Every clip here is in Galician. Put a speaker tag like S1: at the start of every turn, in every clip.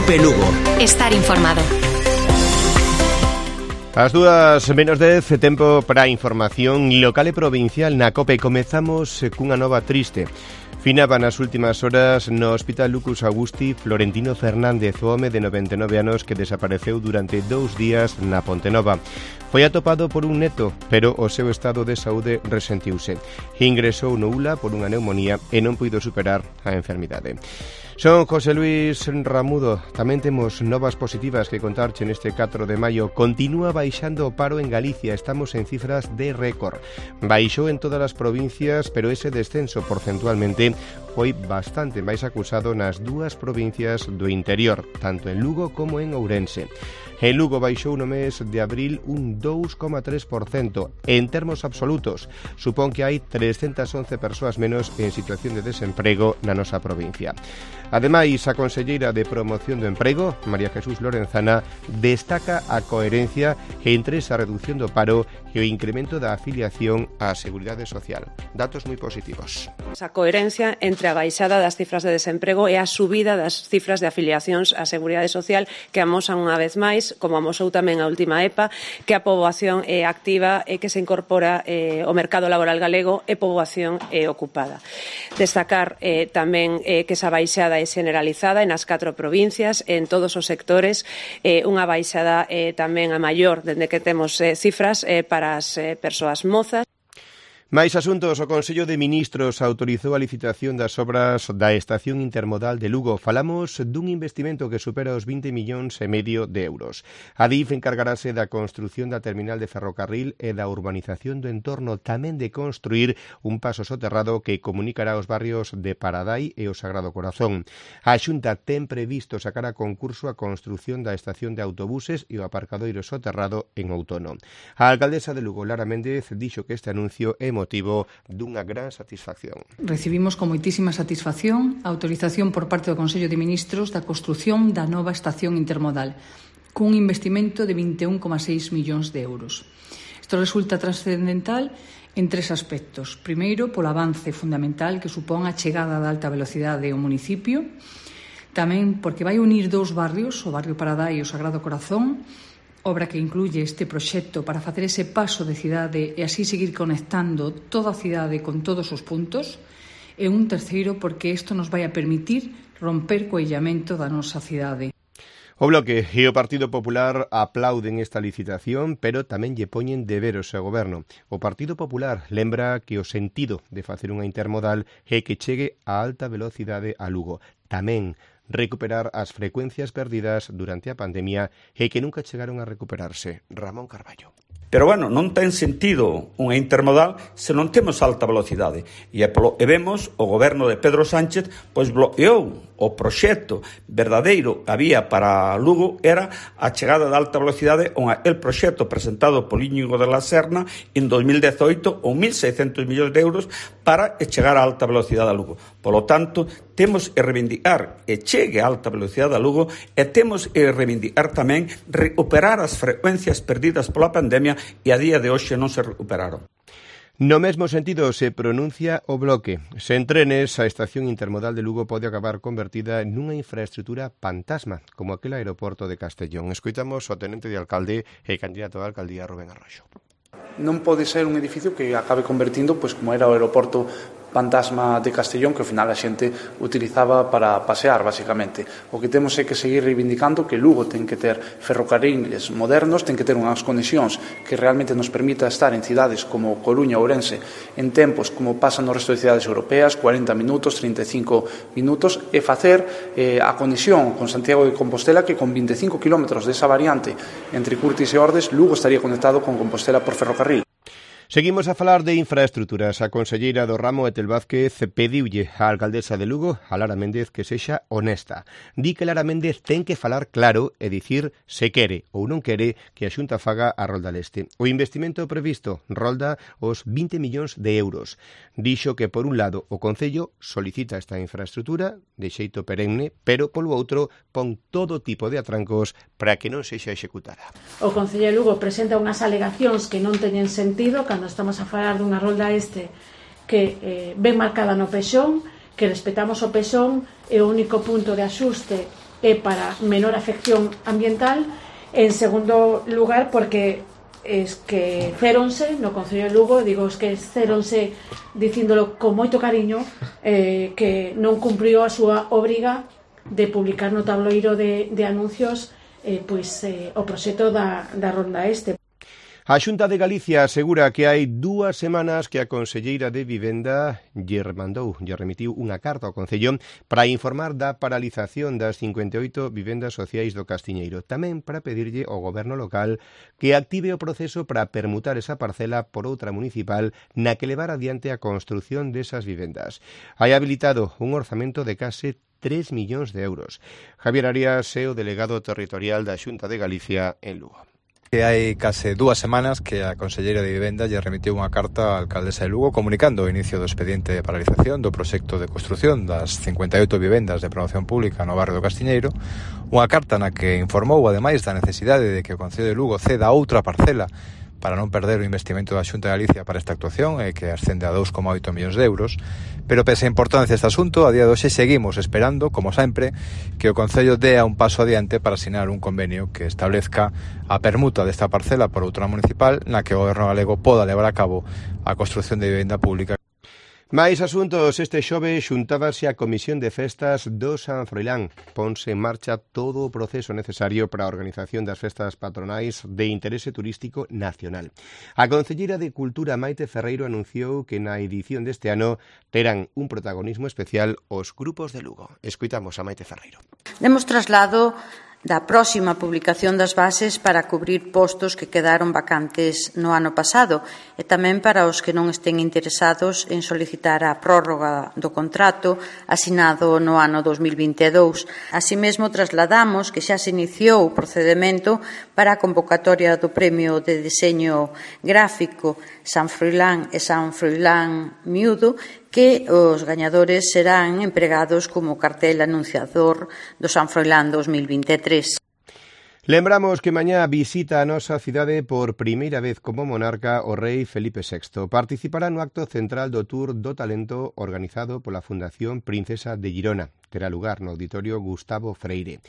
S1: Cope Lugo.
S2: Estar informado.
S3: As 2:10, tempo para información local e provincial na Cope. Comezamos cunha nova triste. Finaba nas últimas horas no Hospital Lucus Augusti Florentino Fernández, o home de 99 anos que desapareceu durante 2 días na Pontenova. Foi atopado por un neto, pero o seu estado de saúde resentiuse. Ingresou no ULA por unha neumonía e non puido superar a enfermidade. Son José Luis Ramudo. Tamén temos novas positivas que contarche neste 4 de maio. Continúa baixando o paro en Galicia. Estamos en cifras de récord. Baixou en todas as provincias, pero ese descenso porcentualmente foi bastante máis acusado nas dúas provincias do interior, tanto en Lugo como en Ourense. En Lugo baixou no mes de abril un 2,3%. En termos absolutos, supón que hai 311 persoas menos en situación de desemprego na nosa provincia. Ademais, a conselleira de Promoción do Emprego, María Jesús Lorenzana, destaca a coherencia entre esa reducción do paro e o incremento da afiliación á Seguridade Social. Datos moi positivos.
S4: A coherencia entre a baixada das cifras de desemprego e a subida das cifras de afiliacións á Seguridade Social que amosan unha vez máis, como amosou tamén a última EPA, que a poboación é activa e que se incorpora ao mercado laboral galego e poboación ocupada. Destacar tamén que esa baixada é generalizada nas 4 provincias, en todos os sectores, unha baixada tamén a maior dende que temos cifras para as persoas mozas.
S3: Mais asuntos, o Consello de Ministros autorizou a licitación das obras da estación intermodal de Lugo. Falamos dun investimento que supera os 20,5 millóns de euros. A DIF encargarase da construción da terminal de ferrocarril e da urbanización do entorno, tamén de construir un paso soterrado que comunicará os barrios de Paradai e o Sagrado Corazón. A Xunta ten previsto sacar a concurso a construción da estación de autobuses e o aparcadoiro soterrado en outono. A alcaldesa de Lugo, Lara Méndez, dixo que este anuncio é motivo dunha gran satisfacción.
S5: Recibimos con moitísima satisfacción a autorización por parte do Consello de Ministros da construción da nova estación intermodal, cun investimento de 21,6 millóns de euros. Isto resulta trascendental en 3 aspectos. Primeiro, polo avance fundamental que supón a chegada da alta velocidade ao municipio, tamén porque vai unir 2 barrios, o barrio Paradai e o Sagrado Corazón, obra que incluye este proxecto para facer ese paso de cidade e así seguir conectando toda a cidade con todos os puntos, e un terceiro porque isto nos vai a permitir romper co illamento da nosa cidade.
S3: O Bloque e o Partido Popular aplauden esta licitación, pero tamén lle poñen deberes ao Goberno. O Partido Popular lembra que o sentido de facer unha intermodal é que chegue a alta velocidade a Lugo. Tamén recuperar as frecuencias perdidas durante a pandemia e que nunca chegaron a recuperarse. Ramón Carballo.
S6: Pero, bueno, non ten sentido unha intermodal se non temos alta velocidade. E vemos o goberno de Pedro Sánchez pois bloqueou o proxecto verdadeiro que había para Lugo era a chegada de alta velocidade, onde el proxecto presentado por Íñigo de la Serna en 2018 ou 1.600 millóns de euros para chegar a alta velocidade a Lugo. Polo tanto, temos que reivindicar que chegue a alta velocidade a Lugo e temos que reivindicar tamén recuperar as frecuencias perdidas pola pandemia e a día de hoxe non se recuperaron.
S3: No mesmo sentido se pronuncia o Bloque. Sen trenes, a estación intermodal de Lugo pode acabar convertida nunha infraestrutura fantasma, como aquel aeroporto de Castellón. Escoitamos o tenente de alcalde e candidato á alcaldía Rubén Arroxo.
S7: Non pode ser un edificio que acabe convertindo, pois como era o aeroporto fantasma de Castellón, que ao final a xente utilizaba para pasear, basicamente. O que temos é que seguir reivindicando que Lugo ten que ter ferrocarriles modernos, ten que ter unhas conexións que realmente nos permita estar en cidades como Coruña ou Ourense en tempos como pasan no resto de cidades europeas, 40 minutos, 35 minutos, e facer a conexión con Santiago de Compostela, que con 25 kilómetros desa variante entre Curtis e Ordes, Lugo estaría conectado con Compostela por ferrocarril.
S3: Seguimos a falar de infraestruturas. A conselleira do ramo, Etel Vázquez, pediulle á alcaldesa de Lugo, a Lara Méndez, que sexa honesta. Di que Lara Méndez ten que falar claro e dicir se quere ou non quere que a Xunta faga a Rolda Leste. O investimento previsto rolda os 20 millóns de euros. Dixo que, por un lado, o Concello solicita esta infraestrutura de xeito perenne, pero, polo outro, pon todo tipo de atrancos para que non sexa executada.
S8: O Concello de Lugo presenta unhas alegacións que non teñen sentido cando estamos a falar dunha rolda este que ben marcada no pexón, que respetamos o pexón e o único punto de axuste é para menor afección ambiental. En segundo lugar, porque esqueceronse no Concello de Lugo, digo esqueceronse dicíndolo con moito cariño, que non cumpriu a súa obriga de publicar no tabloiro de anuncios o proxecto da Ronda Este.
S3: A Xunta de Galicia asegura que hai 2 semanas que a conselleira de Vivenda lle remitiu unha carta ao Concello para informar da paralización das 58 vivendas sociais do Castiñeiro, tamén para pedirlle ao goberno local que active o proceso para permutar esa parcela por outra municipal na que levar adiante a construción desas vivendas. Hai habilitado un orzamento de case 3 millóns de euros. Javier Arias é o delegado territorial da Xunta de Galicia en Lugo.
S1: Hai case 2 semanas que a conselleira de Vivenda lle remitiu unha carta á alcaldesa de Lugo comunicando o inicio do expediente de paralización do proxecto de construción das 58 vivendas de promoción pública no barrio do Castiñeiro, unha carta na que informou ademais da necesidade de que o Concello de Lugo ceda outra parcela para non perder o investimento da Xunta de Galicia para esta actuación, que ascende a 2,8 millóns de euros, pero pese a importancia deste asunto, a día de hoxe seguimos esperando, como sempre, que o Concello dea un paso adiante para asinar un convenio que establezca a permuta desta parcela por outra municipal na que o goberno galego poda levar a cabo a construción de vivenda pública.
S3: Máis asuntos. Este xoves xuntábase a Comisión de Festas do San Froilán. Ponse en marcha todo o proceso necesario para a organización das festas patronais de interese turístico nacional. A concelleira de Cultura, Maite Ferreiro, anunciou que na edición deste ano terán un protagonismo especial os grupos de Lugo. Escoitamos a Maite Ferreiro.
S2: Demos traslado da próxima publicación das bases para cubrir postos que quedaron vacantes no ano pasado e tamén para os que non estén interesados en solicitar a prórroga do contrato asinado no ano 2022. Así mesmo trasladamos que xa se iniciou o procedemento para a convocatoria do Premio de Deseño Gráfico San Froilán e San Froilán Miúdo, que os gañadores serán empregados como cartel anunciador do San Froilán 2023.
S3: Lembramos que mañá visita a nosa cidade por primeira vez como monarca o rei Felipe VI. Participará no acto central do Tour do Talento organizado pola Fundación Princesa de Girona. Terá lugar no Auditorio Gustavo Freire.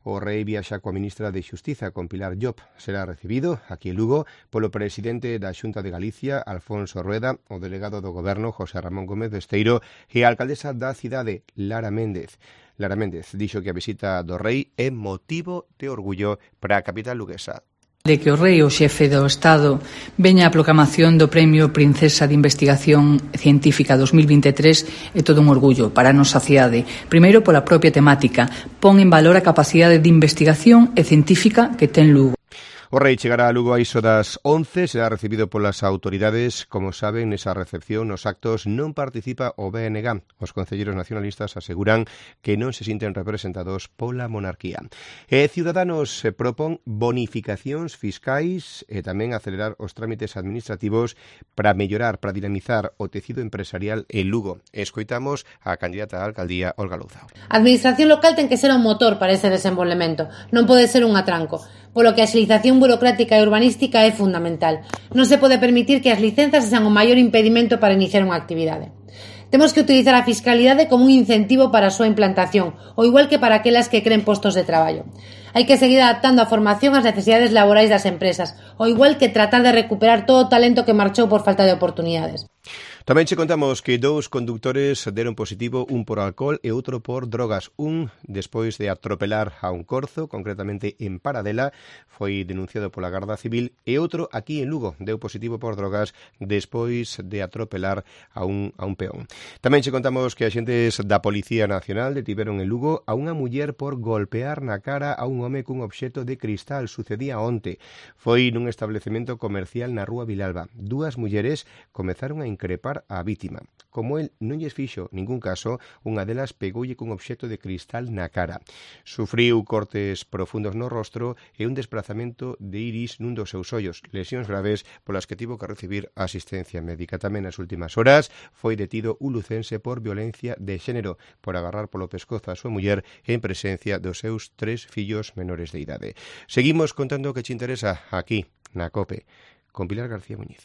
S3: O rei viaxa coa ministra de Xustiza, con Pilar Llop. Será recibido aquí en Lugo polo presidente da Xunta de Galicia, Alfonso Rueda, o delegado do Goberno, José Ramón Gómez Besteiro, e a alcaldesa da cidade, Lara Méndez. Lara Méndez dixo que a visita do rei é motivo de orgullo para a capital luguesa.
S5: De que o rei, o xefe do Estado, veña a proclamación do Premio Princesa de Investigación Científica 2023 é todo un orgullo para a nosa cidade. Primeiro, pola propia temática, pon en valor a capacidade de investigación e científica que ten Lugo.
S3: O rei chegará a Lugo a iso das 11, será recibido polas autoridades. Como saben, nesa recepción nos actos non participa o BNG. Os concelleiros nacionalistas aseguran que non se sinten representados pola monarquía. E Ciudadanos propón bonificacións fiscais e tamén acelerar os trámites administrativos para mellorar, para dinamizar o tecido empresarial en Lugo. Escoitamos a candidata á alcaldía, Olga Louzao.
S9: A administración local ten que ser un motor para ese desenvolvemento, non pode ser un atranco, polo que a agilización burocrática e urbanística é fundamental. Non se pode permitir que as licenzas sean o maior impedimento para iniciar unha actividade. Temos que utilizar a fiscalidade como un incentivo para a súa implantación, ou igual que para aquelas que creen postos de traballo. Hai que seguir adaptando a formación ás necesidades laborais das empresas, ou igual que tratar de recuperar todo o talento que marchou por falta de oportunidades.
S3: Tamén che contamos que 2 condutores deron positivo, un por alcohol e outro por drogas. Un, despois de atropelar a un corzo, concretamente en Paradela, foi denunciado pola Garda Civil, e outro aquí en Lugo deu positivo por drogas despois de atropelar a un peón. Tamén che contamos que axentes da Policía Nacional detiveron en Lugo a unha muller por golpear na cara a un home cun obxecto de cristal. Sucedía onte. Foi nun establecemento comercial na Rúa Vilalba. 2 mulleres comezaron a increpar a vítima. Como el non lles fixo ningún caso, unha delas pegoulle cun obxecto de cristal na cara. Sufriu cortes profundos no rostro e un desplazamento de iris nun dos seus ollos, lesións graves polas que tivo que recibir asistencia médica. Tamén nas últimas horas foi detido un lucense por violencia de xénero, por agarrar polo pescozo a súa muller en presencia dos seus 3 fillos menores de idade. Seguimos contando o que che interesa aquí, na COPE, con Pilar García Muñiz.